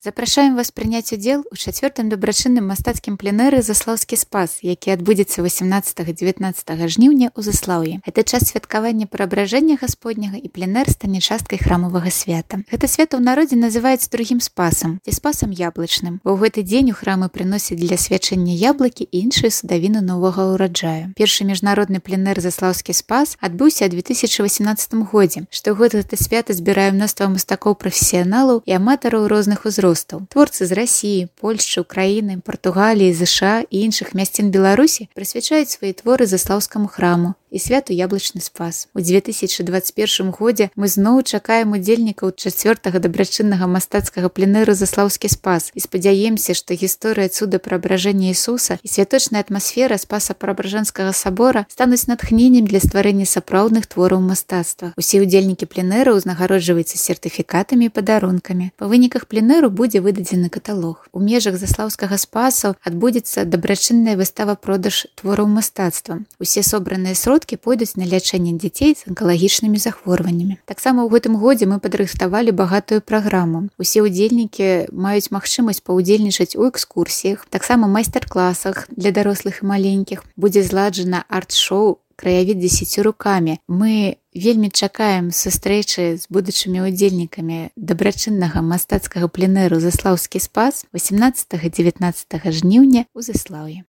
Запрашаем вас прыняць удзел у 4-м дабрачынным мастацкім пленэры «Заслаўскі спас», які адбудзецца 18-19 жніўня ў Заслаўі. Гэта час святкавання Преабражэння Гасподняга і пленэр стане часткай храмавага свята. Гэта свята ў народзе называецца другім спасам, ці спасам яблычным, бо ў гэты дзень у храмы прыносяць для свячэння яблыкі і іншыя садавіны новага ўраджаю. Першы міжнародны пленэр «Заслаўскі спас» адбыўся ў 2018 годзе. Штогод гэта свята збірае мноства мастакоў-прафесіяналаў і аматараў розных узростаў. Творцы з Расіі, Польшчы, Украіны, Партугаліі, ЗША і іншых мясцін Беларусі прысвячаюць свае творы Заслаўскаму храму і святу яблычны спас. У 2021 годзе мы зноў чакаем удзельнікаў 4-го дабрачыннага мастацкага пленэру «Заслаўскі спас і спадзяемся, што гісторыя цуда Преабражэння Ісуса і святочная атмасфера спаса Преабражэнскага сабора стануць натхненнем для стварэння сапраўдных твораў мастацтва. Усе удзельнікі пленэра ўзнагароджваюцца сертыфікатамі і падарункамі. Па выніках пленэру будзе выдадзены каталог. У межах Заслаўскага спасу адбудзецца дабрачынная выстава-продаж твораў мастацтва. Усе собраныя сродкі пойдуць на лячэнне дзяцей з анкалагічнымі захворваннямі. Таксама ў гэтым годзе мы падрыхтавалі багатую праграму. Усе удзельнікі маюць магчымасць паўдзельнічаць у экскурсіях, таксама майстар-класах для дарослых і маленькіх. Будзе зладжана арт-шоу «Краявід 10 рукамі». Мы вельмі чакаем сустрэчы з будучымі удзельнікамі дабрачыннага мастацкага пленэру «Заслаўскі спас» 18-19 жніўня ў Заслаўі.